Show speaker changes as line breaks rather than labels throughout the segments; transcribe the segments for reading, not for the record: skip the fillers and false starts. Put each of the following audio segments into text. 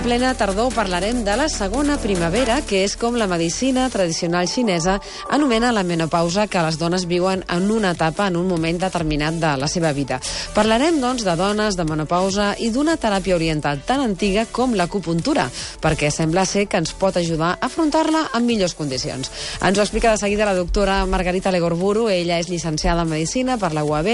plena tardor parlarem de la segona primavera, que és com la medicina tradicional xinesa anomena la menopausa, que les dones viuen en una etapa, en un moment determinat de la seva vida. Parlarem, doncs, de dones, de menopausa i d'una teràpia oriental tan antiga com l'acupuntura, perquè sembla ser que ens pot ajudar a afrontar-la en millors condicions. Ens ho explica de seguida la doctora Margarita Legorburu. Ella és llicenciada en Medicina per la UAB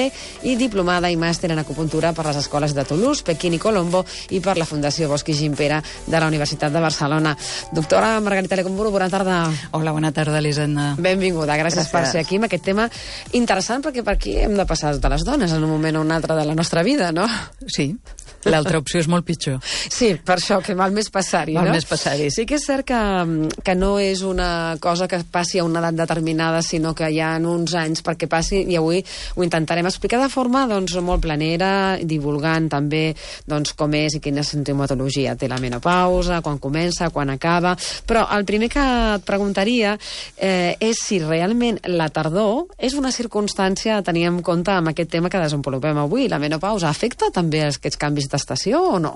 i diplomada i màster en acupuntura per les escoles de Toulouse, Pequín i Colombo i per la Fundació Bosch i Gimpera de la Universitat de Barcelona. Doctora Margarita Legorburu, bona tarda.
Hola, bona tarda, Elisenda.
Benvinguda, gràcies per ser aquí amb aquest tema interessant, perquè per aquí hem de passar de les dones en un moment o un altre de la nostra vida, no?
Sí. L'altra opció és molt pitjor.
Sí, per això, que val més passar-hi, no?
Val més passar-hi.
Sí que és cert que no és una cosa que passi a una edat determinada, sinó que hi ha uns anys perquè passi, i avui ho intentarem explicar de forma doncs, molt planera, divulgant també doncs, com és i quina sintomatologia té la menopausa, quan comença, quan acaba. Però el primer que et preguntaria és si realment la tardor és una circumstància a tenir en compte amb aquest tema que desenvolupem avui. La menopausa afecta també aquests canvis d'estació o no?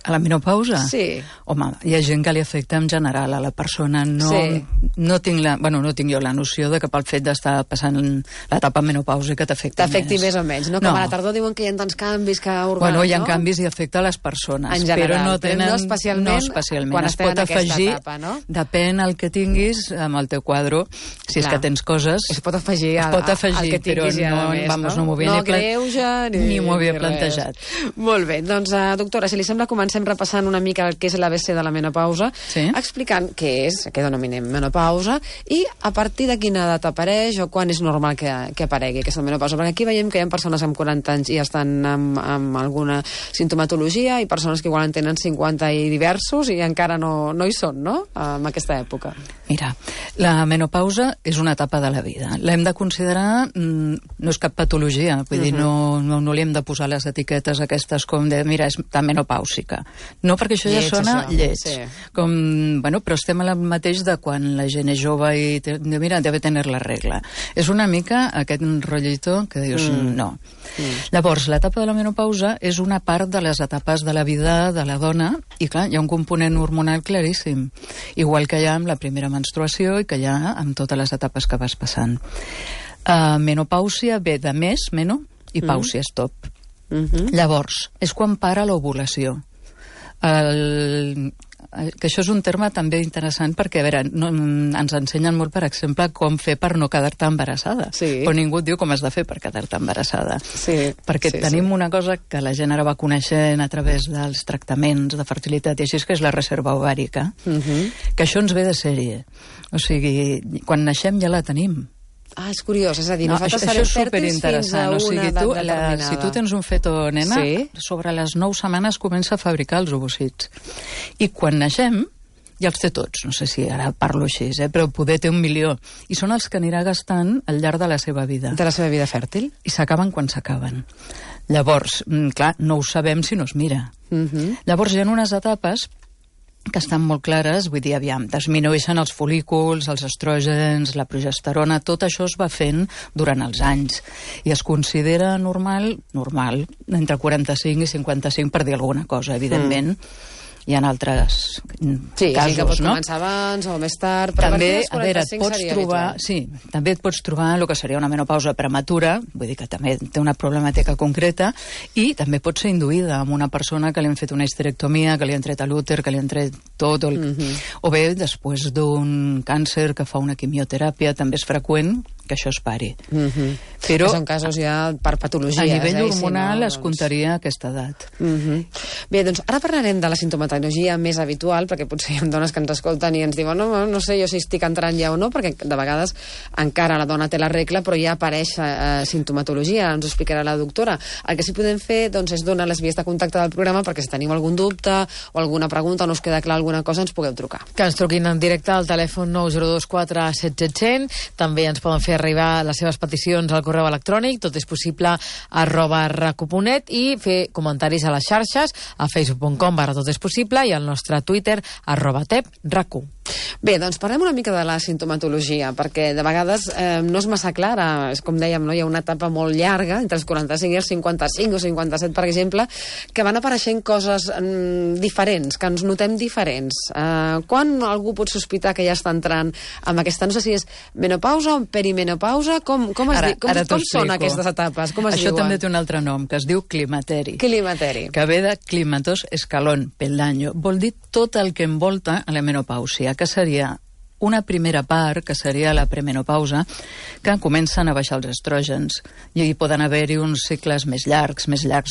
A la menopausa?
Sí.
Home, hi ha gent que li afecta en general a la persona. No tinc jo la noció de que pel fet d'estar passant l'etapa menopàusica
t'afecti més o menys, no? Com a la tardor diuen que hi ha tants canvis que
Bueno, hi ha canvis i afecta a les persones,
en general,
però no tenen...
no especialment quan
es pot afegir,
etapa, no?
Depèn el que tinguis amb el teu quadre, si és que tens coses...
Es pot afegir al que tinguis ja més, no?
No greuja ni m'ho havia plantejat.
Molt bé, doncs, doctora, si li sembla, comencem repassant una mica el que és l'ABC de la menopausa, explicant què és, què denominem menopausa, i a partir de quina edat apareix o quan és normal que aparegui aquesta menopausa. Perquè aquí veiem que hi ha persones amb 40 anys i estan amb alguna sintomatologia i persones que igual en tenen 50 i diversos i encara no hi són, no?, en aquesta època.
Mira, la menopausa és una etapa de la vida. L'hem de considerar, no és cap patologia, vull dir, no li hem de posar les etiquetes aquestes com de, mira, és tan menopàusica. No, perquè això ja sona lleig. Sí. Però estem al mateix de quan la gent és jove i mira, debe tener la regla. És una mica aquest rotllito que dius no. Llavors, l'etapa de la menopausa és una part de les etapes de la vida de la dona i, clar, hi ha un component hormonal claríssim. Igual que hi ha amb la primera menstruació i que hi ha amb totes les etapes que vas passant. Menopàusia ve de meno, i pàusia és top. Llavors, és quan para l'ovulació. Que això és un terme també interessant perquè, a veure, ens ensenyen molt, per exemple, com fer per no quedar-te embarassada. Però ningú et diu com has de fer per quedar-te embarassada. Perquè tenim una cosa que la gent ara va coneixent a través dels tractaments de fertilitat i així, que és la reserva ovàrica, que això ens ve de sèrie. O sigui, quan naixem ja la tenim.
És curiós, és a dir, nosaltres serem fèrtils fins a una edat determinada.
Si tu tens un feto, nena, sobre les 9 setmanes comença a fabricar els ovocits. I quan naixem, ja els té tots, no sé si ara parlo així, però poder té 1 milió. I són els que anirà gastant al llarg de la seva vida.
De la seva vida fèrtil?
I s'acaben quan s'acaben. Llavors, clar, no ho sabem si no es mira. Llavors hi ha unes etapes que estan molt clares, vull dir, aviam, disminueixen els folículs, els estrògens, la progesterona, tot això es va fent durant els anys i es considera normal, entre 45 i 55, per dir alguna cosa, evidentment. Hi ha altres casos,
que pot començar abans o més tard, però
també, a veure, també et pots trobar el que seria una menopausa prematura, vull dir que també té una problemàtica concreta, i també pot ser induïda amb una persona que li han fet una histerectomia, que li han tret l'úter, que li han tret tot, o bé després d'un càncer que fa una quimioteràpia, també és freqüent que això es pari.
Però són casos ja per patologies.
A nivell hormonal es comptaria aquesta edat.
Bé, doncs ara parlarem de la sintomatologia més habitual, perquè potser hi ha dones que ens escolten i ens diuen no sé jo si estic entrant ja o no, perquè de vegades encara la dona té la regla, però ja apareix sintomatologia, ens ho explicarà la doctora. El que sí podem fer és donar les vies de contacte del programa perquè si teniu algun dubte o alguna pregunta o no us queda clar alguna cosa, ens pugueu trucar.
Que ens truquin en directe al telèfon 9024 7700, també ens poden fer fer arribar les seves peticions al correu electrònic, totespossible@racu.net, i fer comentaris a les xarxes, a facebook.com/totespossible i al nostre Twitter @tepracu.
Bé, doncs parlem una mica de la sintomatologia, perquè de vegades no és massa clara, és com dèiem, no? Hi ha una etapa molt llarga, entre els 45 i els 55 o 57, per exemple, que van apareixent coses diferents, que ens notem diferents. Quan algú pot sospitar que ja està entrant amb aquesta, no sé si és menopausa o perimenopausa, com són aquestes etapes? Com es
Això
diuen?
també té un altre nom, que es diu climateri.
Climateri.
Que ve de climatos escalón, peldaño. Vol dir tot el que envolta a la menopàusia, que seria una primera part, que seria la premenopausa, que comencen a baixar els estrògens i hi poden haver-hi uns cicles més llargs.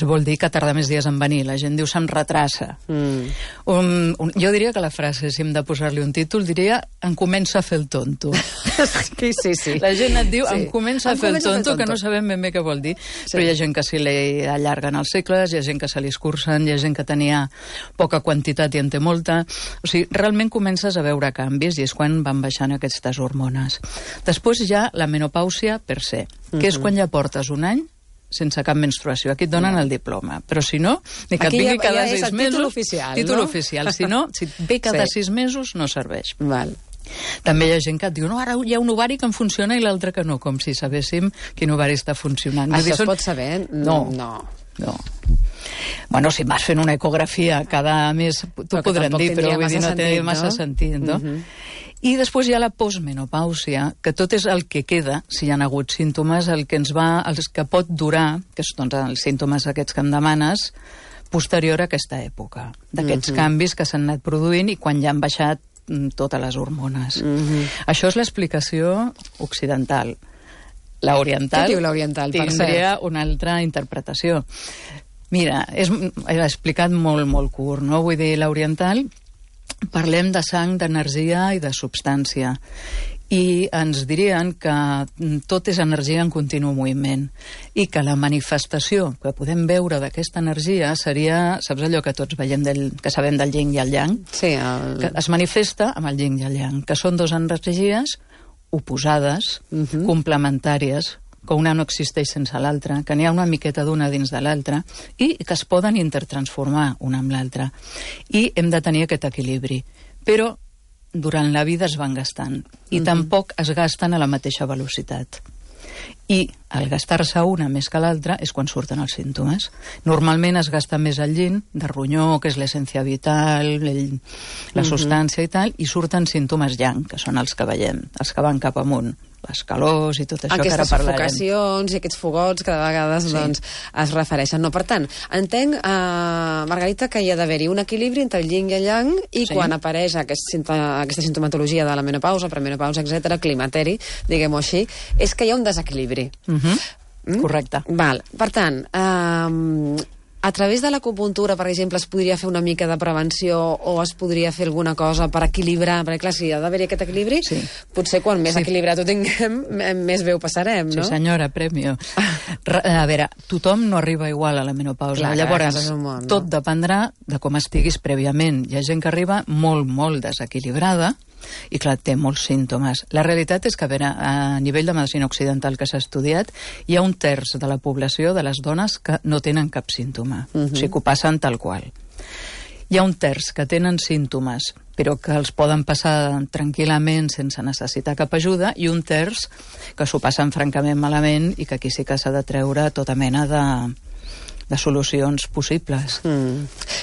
Vol dir que tarda més dies en venir. La gent diu se'm retrassa. Jo diria que la frase, si hem de posar-li un títol, diria em comença a fer el tonto.
Sí.
La gent et diu em comença a fer el tonto, que no sabem ben bé què vol dir. Però hi ha gent que se li allarguen els cicles, hi ha gent que se li escurcen, hi ha gent que tenia poca quantitat i en té molta. O sigui, realment comences a veure canvis i és quan van baixant aquestes hormones. Després hi ha la menopàusia per se, que és quan ja portes un any sense cap menstruació. Aquí et donen el diploma. Però si no, ni que et vingui cada 6 mesos...
Títol oficial,
títol oficial. Si no, si et ve cada 6 mesos, no serveix.
Val.
També hi ha gent que et diu, no, ara hi ha un ovari que em funciona i l'altre que no, com si sabéssim quin ovari està funcionant.
Això es pot saber?
No. Bueno, si vas fent una ecografia cada mes, t'ho podran dir, però vull dir, no té massa sentit, no? I després hi ha la postmenopàusia, que tot és el que queda, si hi ha hagut símptomes, els que pot durar, que són els símptomes aquests que em demanes, posterior a aquesta època, d'aquests canvis que s'han anat produint i quan ja han baixat totes les hormones. Això és l'explicació occidental. L'oriental tindria una altra interpretació. Mira, he explicat molt curt, no? Vull dir, l'oriental parlem de sang, d'energia i de substància. I ens dirien que tot és energia en continu moviment i que la manifestació que podem veure d'aquesta energia seria, saps allò que tots veiem que sabem del yin i el yang?
Sí.
Que es manifesta amb el yin i el yang, que són dues energies oposades, complementàries, que una no existeix sense l'altra, que n'hi ha una miqueta d'una dins de l'altra i que es poden intertransformar una amb l'altra. I hem de tenir aquest equilibri. Però durant la vida es van gastant i tampoc es gasten a la mateixa velocitat. I al gastar-se una més que l'altra és quan surten els símptomes. Normalment es gasta més el yin, de ronyó, que és l'essència vital, la substància i tal, i surten símptomes yang, que són els que veiem, els que van cap amunt, les calors i tot això que ara parlarem.
Aquestes sufocacions i aquests fogots que de vegades es refereixen. No, per tant, entenc, Margarita, que hi ha d'haver-hi un equilibri entre el yin i el yang i quan apareix aquesta sintomatologia de la menopausa, premenopausa, etc., climateri, diguem-ho així, és que hi ha un desequilibri.
Correcte.
Val. Per tant, a través de l'acupuntura, per exemple, es podria fer una mica de prevenció o es podria fer alguna cosa per equilibrar? Perquè, clar, si hi ha d'haver-hi aquest equilibri, potser quan més equilibrat ho tinguem, més bé ho passarem, no?
Sí, senyora, premio. A veure, tothom no arriba igual a la menopausa.
Clar,
llavors, tot dependrà de com estiguis prèviament. Hi ha gent que arriba molt desequilibrada i, clar, té molts símptomes. La realitat és que, a veure, a nivell de medicina occidental que s'ha estudiat, hi ha 1/3 de la població de les dones que no tenen cap símptoma. O sigui, que ho passen tal qual. Hi ha 1/3 que tenen símptomes, però que els poden passar tranquil·lament sense necessitar cap ajuda, i 1/3 que s'ho passen francament malament i que aquí sí que s'ha de treure tota mena de solucions possibles.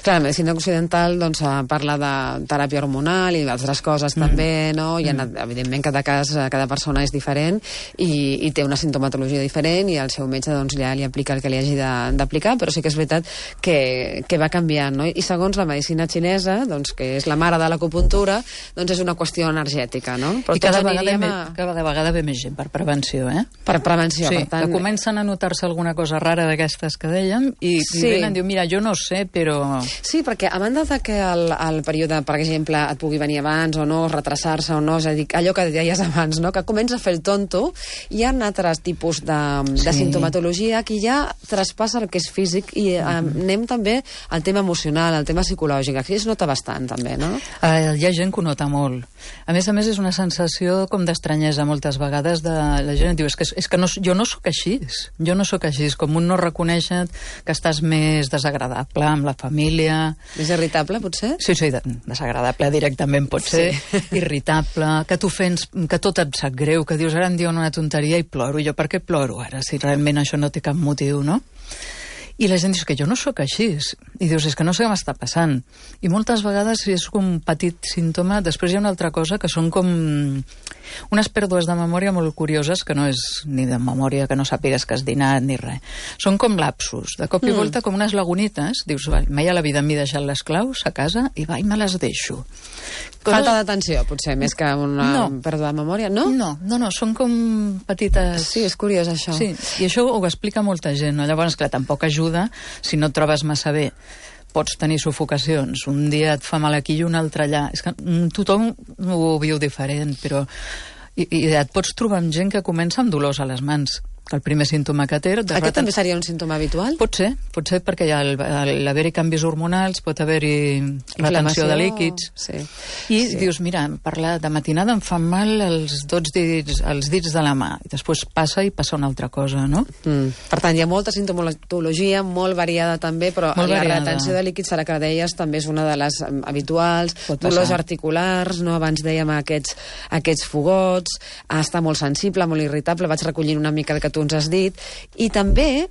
Clar, la medicina occidental doncs, parla de teràpia hormonal i d'altres coses també, no? I evidentment cada cas, cada persona és diferent i té una sintomatologia diferent i el seu metge doncs, ja li aplica el que li hagi d'aplicar, però sí que és veritat que va canviant, no? I segons la medicina xinesa, doncs, que és la mare de l'acupuntura, doncs és una qüestió energètica, no?
Però i cada vegada ve més gent per prevenció,
Per prevenció,
sí,
per tant.
Que comencen a notar-se alguna cosa rara d'aquestes que dèiem i venen i diuen, mira, jo no sé, però...
Sí, perquè a banda de que el període, per exemple, et pugui venir abans o no, retrasar-se o no, és a dir, allò que deies abans, no? Que comença a fer el tonto, hi ha altres tipus de sintomatologia que ja traspassa el que és físic i anem també al tema emocional, al tema psicològic. Aquí es nota bastant, també, no?
Hi ha gent que ho nota molt. A més, és una sensació com d'estranyesa moltes vegades de la gent. Diu, és que no, jo no sóc així. Jo no sóc així. Com un no reconeix que estàs més desagradable amb la família.
Més irritable, potser?
Sí, desagradable directament pot ser. Irritable, que t'ofens, que tot et sap greu, que dius, ara em diuen una tonteria i ploro. Jo per què ploro ara, si realment això no té cap motiu, no? I la gent diu que jo no sóc així. I dius, és que no sé què m'està passant. I moltes vegades, si és com un petit símptoma, després hi ha una altra cosa que són com unes pèrdues de memòria molt curioses, que no és ni de memòria que no sàpigues que has dinat ni res. Són com lapsus, de cop i volta com unes lagunites. Dius, mai a la vida m'he deixat les claus a casa i va, i me les deixo.
Falta d'atenció, potser, més que una pèrdua de memòria, no?
No, són com petites...
Sí, és curiós, això.
Sí, i això ho explica molta gent, no? Llavors, clar, tampoc ajuda si no et trobes massa bé. Pots tenir sufocacions, un dia et fa mal aquí i un altre allà. És que tothom ho viu diferent, però... I et pots trobar amb gent que comença amb dolors a les mans, que el primer símptoma que té...
Aquest també seria un símptoma habitual?
Pot ser perquè hi ha l'haver-hi canvis hormonals, pot haver-hi retenció de líquids.
Sí.
Dius, mira, de matinada em fan mal els dits de la mà, i després passa una altra cosa, no?
Per tant, hi ha molta sintomatologia, molt variada també, però la retenció de líquids, ara que deies, també és una de les habituals, dolors articulars, no? Abans dèiem aquests fogots, estar molt sensible, molt irritable, vaig recollint una mica el que tu ens has dit, i també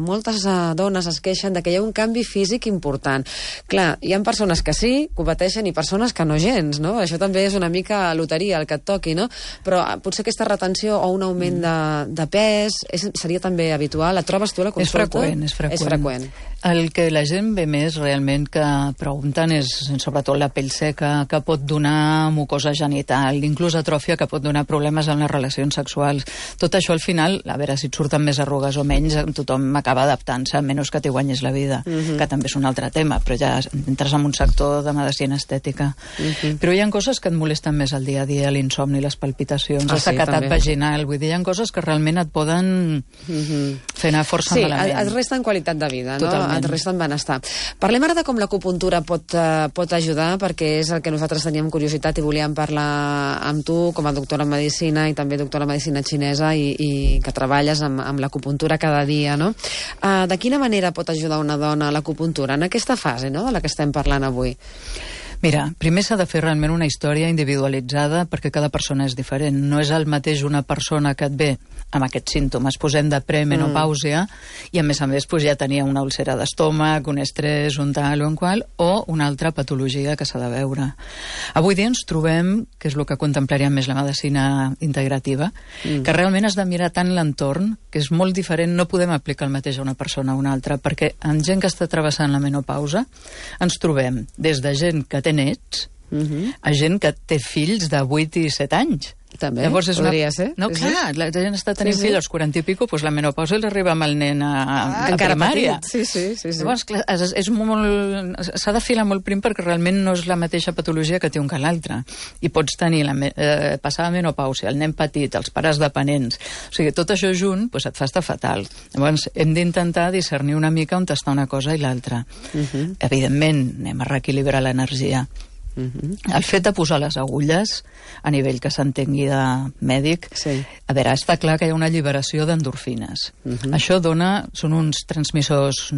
moltes dones es queixen de que hi ha un canvi físic important. Clar, hi ha persones que sí, que ho pateixen, i persones que no gens, no? Això també és una mica loteria, el que et toqui, no? Però potser aquesta retenció o un augment de pes seria també habitual. La trobes tu a la consulta?
És freqüent. El que la gent ve més realment que pregunten és sobretot la pell seca, que pot donar mucosa genital, inclús atròfia, que pot donar problemes en les relacions sexuals. Tot això al final, a veure si et surten més arrugues o menys, tothom acaba adaptant-se, a menys que t'hi guanyis la vida, que també és un altre tema, però ja entres en un sector de medicina estètica. Però hi ha coses que et molesten més al dia a dia, l'insomni, les palpitacions, la sequedat vaginal, vull dir, hi ha coses que realment et poden fer anar força malament.
Sí, et resten qualitat de vida, no?
Totalment.
Et resten benestar. Parlem ara de com l'acupuntura pot ajudar, perquè és el que nosaltres teníem curiositat i volíem parlar amb tu com a doctora en medicina i també doctora en medicina xinesa i que treballes amb l'acupuntura cada dia, no? De quina manera pot ajudar una dona a l'acupuntura en aquesta fase, no?, de la que estem parlant avui?
Mira, primer s'ha de fer realment una història individualitzada perquè cada persona és diferent. No és el mateix una persona que et ve amb aquests símptomes, posem de premenopàusia i a més ja tenia una úlcera d'estómac, un estrès, un tal o un qual, o una altra patologia que s'ha de veure. Avui dia ens trobem, que és el que contemplaria més la medicina integrativa, que realment has de mirar tant l'entorn, que és molt diferent, no podem aplicar el mateix a una persona a una altra, perquè en gent que està travessant la menopausa ens trobem des de gent que té nets a gent que té fills de 8 i 7 anys.
També, llavors podria ser.
No, clar, la gent està tenint fills als 40 i pico, doncs la menopausa els arriba amb el nen a primària.
Sí.
Llavors, clar, s'ha de filar molt prim perquè realment no és la mateixa patologia que té un que l'altre. I pots tenir passar la menopàusia, el nen petit, els pares dependents. O sigui, tot això junt et fa estar fatal. Llavors, hem d'intentar discernir una mica on està una cosa i l'altra. Evidentment, anem a reequilibrar l'energia. El fet de posar les agulles a nivell que s'entengui de mèdic, a veure, està clar que hi ha una alliberació d'endorfines. Això són uns transmissors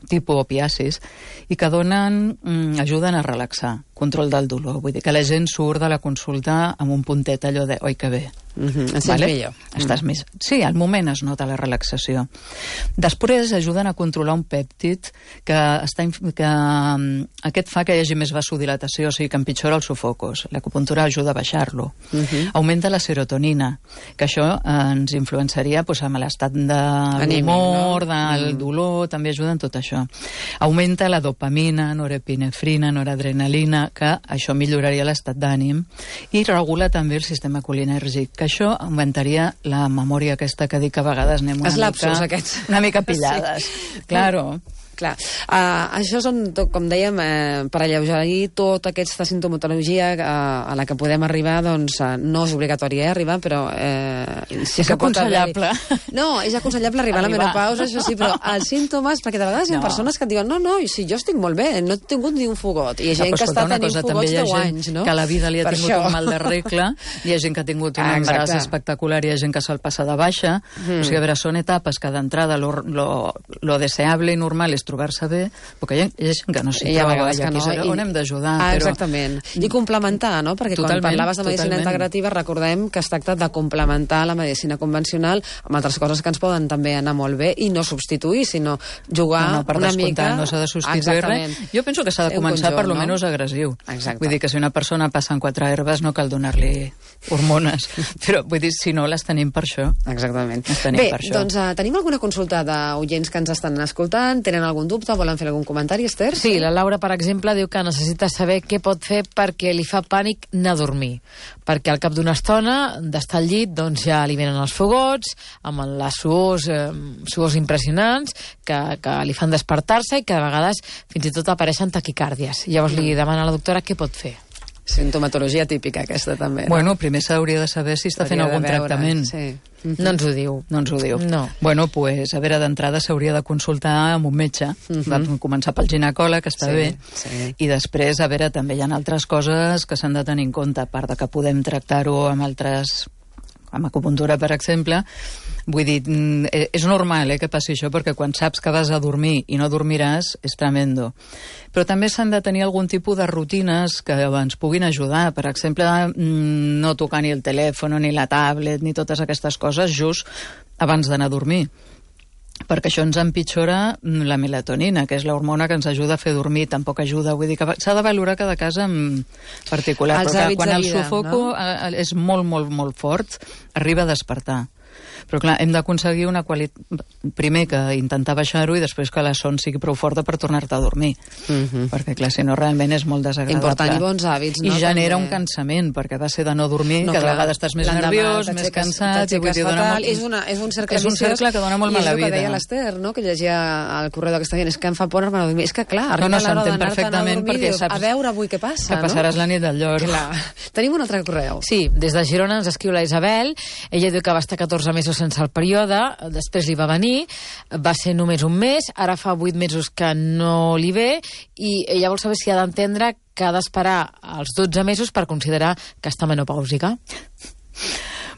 tipus opiacis i que ajuden a relaxar, control del dolor. Vull dir que la gent surt de la consulta amb un puntet allò de oi que bé.
Millor.
Estàs més... Sí, al moment es nota la relaxació. Després ajuden a controlar un pèptid que aquest fa que hi hagi més vasodilatació, o sigui que empitjora els sofocos. L'acupuntura ajuda a baixar-lo. Augmenta la serotonina, que això ens influenciaria amb l'estat d'humor, del dolor, també ajuda en tot això. Augmenta la dopamina, norepinefrina, noradrenalina, que això milloraria l'estat d'ànim, i regula també el sistema colinèrgic, que això augmentaria la memòria aquesta que dic que a vegades anem una mica pillades. Claro.
Clar, això són, com dèiem, per alleugerir tota aquesta sintomatologia a la que podem arribar, doncs no és obligatori arribar, però
sí que aconsellable.
No, és aconsellable arribar a la menopausa, això sí, però els símptomes, perquè de vegades hi ha persones que et diuen no, si jo estic molt bé, no he tingut ni un fogot, i hi ha gent que està tenint fogots 10 anys, no?
Que a la vida li ha tingut un mal de regla, hi ha gent que ha tingut un embaràs espectacular, hi ha gent que se'l passa de baixa, o sigui, a veure, són etapes que d'entrada lo deseable i normal és trobar-se bé, perquè hi ha gent que no s'hi troba, i aquí és on hem d'ajudar.
Exactament. I complementar, no? Perquè quan parlaves de medicina integrativa, recordem que es tracta de complementar la medicina convencional amb altres coses que ens poden també anar molt bé i no substituir, sinó jugar una mica...
No s'ha de substituir res. Jo penso que s'ha de començar per lo menys agressiu. Vull dir que si una persona passa en 4 herbes no cal donar-li hormones, però vull dir, si no, les tenim per això.
Exactament. Bé, doncs tenim alguna consulta d'oients que ens estan escoltant? Tenen algun dubte? Volen fer algun comentari, Esther?
Sí, la Laura, per exemple, diu que necessita saber què pot fer perquè li fa pànic anar a dormir. Perquè al cap d'una estona d'estar al llit doncs ja li venen els fogots, amb les suors impressionants, que li fan despertar-se i que a vegades fins i tot apareixen taquicàrdies. Llavors li demana a la doctora què pot fer.
Sintomatologia típica, aquesta, també.
Bueno, primer s'hauria de saber si està fent algun tractament.
Sí. No ens ho diu.
No ens ho diu.
No.
Bueno, pues, a veure, d'entrada s'hauria de consultar amb un metge. Vam començar pel ginecòleg, que està bé, i després, a veure, també hi ha altres coses que s'han de tenir en compte, a part de que podem tractar-ho amb altres... amb acupuntura, per exemple. Vull dir, és normal que passi això, perquè quan saps que vas a dormir i no dormiràs, és tremendo. Però també s'han de tenir algun tipus de rutines que ens puguin ajudar. Per exemple, no tocar ni el telèfon, ni la tablet, ni totes aquestes coses just abans d'anar a dormir. Perquè això ens empitjora la melatonina, que és l'hormona que ens ajuda a fer dormir, tampoc ajuda, vull dir que s'ha de valorar cada cas en particular, però quan el sufoco és molt, molt, molt fort, arriba a despertar. Però clar, hem d'aconseguir una qualitat... Primer que intentar baixar-ho i després que la son sigui prou forta per tornar-te a dormir. Perquè clar, si no realment és molt desagradable.
Important, i bons hàbits, no?
I genera un cansament, perquè va ser de no dormir, cada vegada estàs més nerviós, més cansat...
És un cercle viciós.
És un cercle que dona molt mala vida.
I és el que deia l'Esther, no?, que llegia al correu d'aquesta gent, és que em fa por anar a dormir. És que clar, arriba l'hora d'anar-te'n a dormir i dius, a veure avui què passa, no?
Que passaràs la nit del llor.
Tenim un altre correu.
Sí, des de Girona ens escriu la Isabel. Ella diu que va estar 14 mesos sense el període, després li va venir, va ser només un mes, ara fa 8 mesos que no li ve, i ella vol saber si ha d'entendre que ha d'esperar els 12 mesos per considerar que està menopàusica.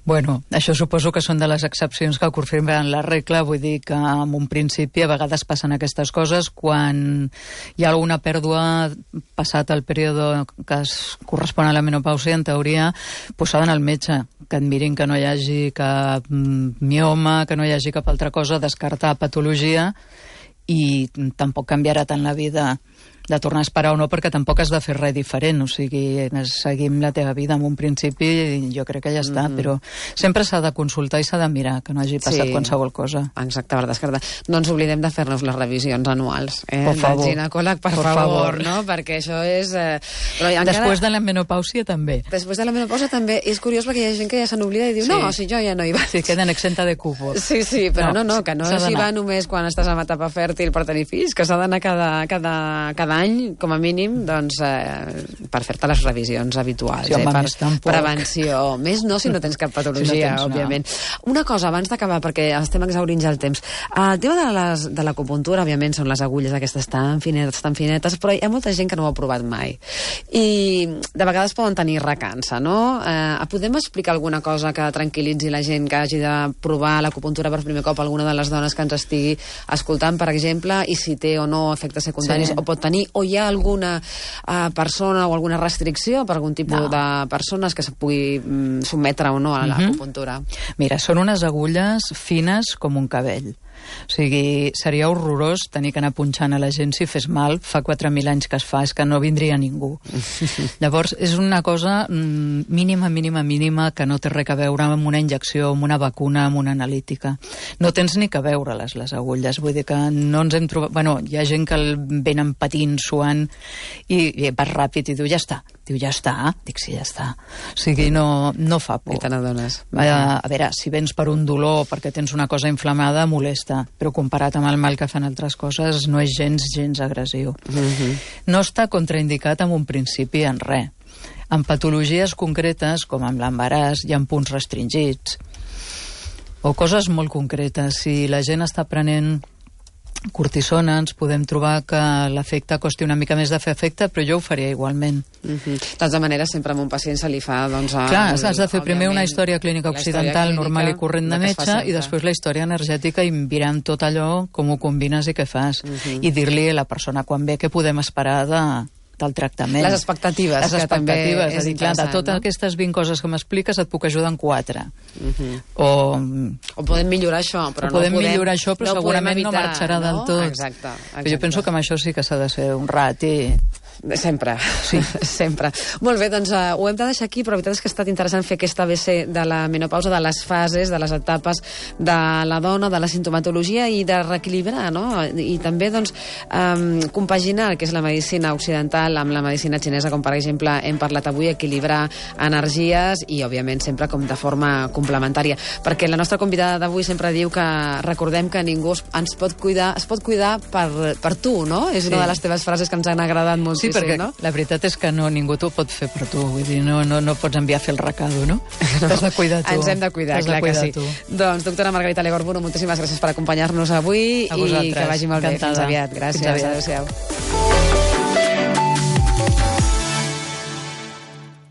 Bueno, això suposo que són de les excepcions que confirmen la regla, vull dir que en un principi a vegades passen aquestes coses quan hi ha alguna pèrdua passat el període que es correspon a la menopàusia, en teoria, s'ha d'anar al metge, que et mirin que no hi hagi cap mioma, que no hi hagi cap altra cosa, descartar patologia, i tampoc canviarà tant la vida de tornar a esperar o no, perquè tampoc has de fer res diferent, o sigui, seguim la teva vida en un principi i jo crec que ja està, però sempre s'ha de consultar i s'ha de mirar, que no hagi passat qualsevol cosa.
Exacte, per descartar. No ens oblidem de fer-nos les revisions anuals,
Por favor.
Del ginecòleg, per favor, no? Perquè això és...
Després de la menopàusia també.
Després de la menopàusia també. És curiós perquè hi ha gent que ja se n'oblida i diu, no, si jo ja no hi vaig.
Sí, queden exenta de cupos.
Sí, però no, que no s'hi va només quan estàs en etapa fèrtil per tenir fills, que s'ha d'anar cada any, com a mínim, doncs, per fer-te les revisions habituals, per prevenció. Més no, si no tens cap patologia, òbviament. Una cosa, abans d'acabar, perquè estem exaurint ja el temps. El tema de l'acupuntura, òbviament, són les agulles aquestes tan finetes, però hi ha molta gent que no ho ha provat mai. I de vegades poden tenir recança, no? Podem explicar alguna cosa que tranquil·litzi la gent que hagi de provar l'acupuntura per primer cop, alguna de les dones que ens estigui escoltant, per exemple, i si té o no efectes secundaris, o pot tenir, o hi ha alguna persona o alguna restricció per algun tipus de persones que se pugui sotmetre o no a l'acupuntura?
Mira, són unes agulles fines com un cabell. O sigui, seria horrorós tenir que anar punxant a la gent si fes mal. Fa 4.000 anys que es fa, és que no vindria ningú. Llavors, és una cosa mínima, que no té res a veure amb una injecció, amb una vacuna, amb una analítica. No tens ni que veure-les, les agulles. Vull dir que no ens hem trobat... Bueno, hi ha gent que el venen patint, suant, i vas ràpid i diu, ja està. Diu, ja està? Dic, sí, ja està. O sigui, no fa por.
I te n'adones.
A veure, si vens per un dolor, perquè tens una cosa inflamada, molesta, però comparat amb el mal que fan altres coses, no és gens agressiu. No està contraindicat en un principi en res. En patologies concretes, com amb l'embaràs, hi ha punts restringits, o coses molt concretes. Si la gent està prenent cortisona, ens podem trobar que l'efecte costi una mica més de fer efecte, però jo ho faria igualment.
De totes maneres, sempre a un pacient se li fa...
Clar, has de fer primer una història clínica occidental normal i corrent de metge i després la història energètica i mirant tot allò, com ho combines i què fas. I dir-li a la persona quan ve què podem esperar del tractament.
Les expectatives.
Les expectatives. És a dir, clar, de totes aquestes 20 coses que m'expliques et puc ajudar en 4. O
podem millorar això, però
millorar això, però segurament no marxarà del tot.
Exacte.
Però jo penso que amb això sí que s'ha de ser un rati.
Sempre.
Sí.
Sempre. Molt bé, doncs ho hem de deixar aquí, però la veritat és que ha estat interessant fer aquesta ABC de la menopausa, de les fases, de les etapes de la dona, de la sintomatologia i de reequilibrar, no? I també, doncs, compaginar el que és la medicina occidental amb la medicina xinesa, com per exemple hem parlat avui, equilibrar energies i, òbviament, sempre com de forma complementària. Perquè la nostra convidada d'avui sempre diu que recordem que ningú es pot cuidar per tu, no? És una de les teves frases que ens han agradat moltíssim.
Sí, perquè la veritat és que ningú t'ho pot fer per tu, vull dir, no pots enviar a fer el recado, no? T'has de cuidar tu.
Ens hem de cuidar, clar que sí. Doncs, doctora Margarita Legorbuno, moltíssimes gràcies per acompanyar-nos avui i que vagi molt bé. Fins aviat. Gràcies. Adéu-siau.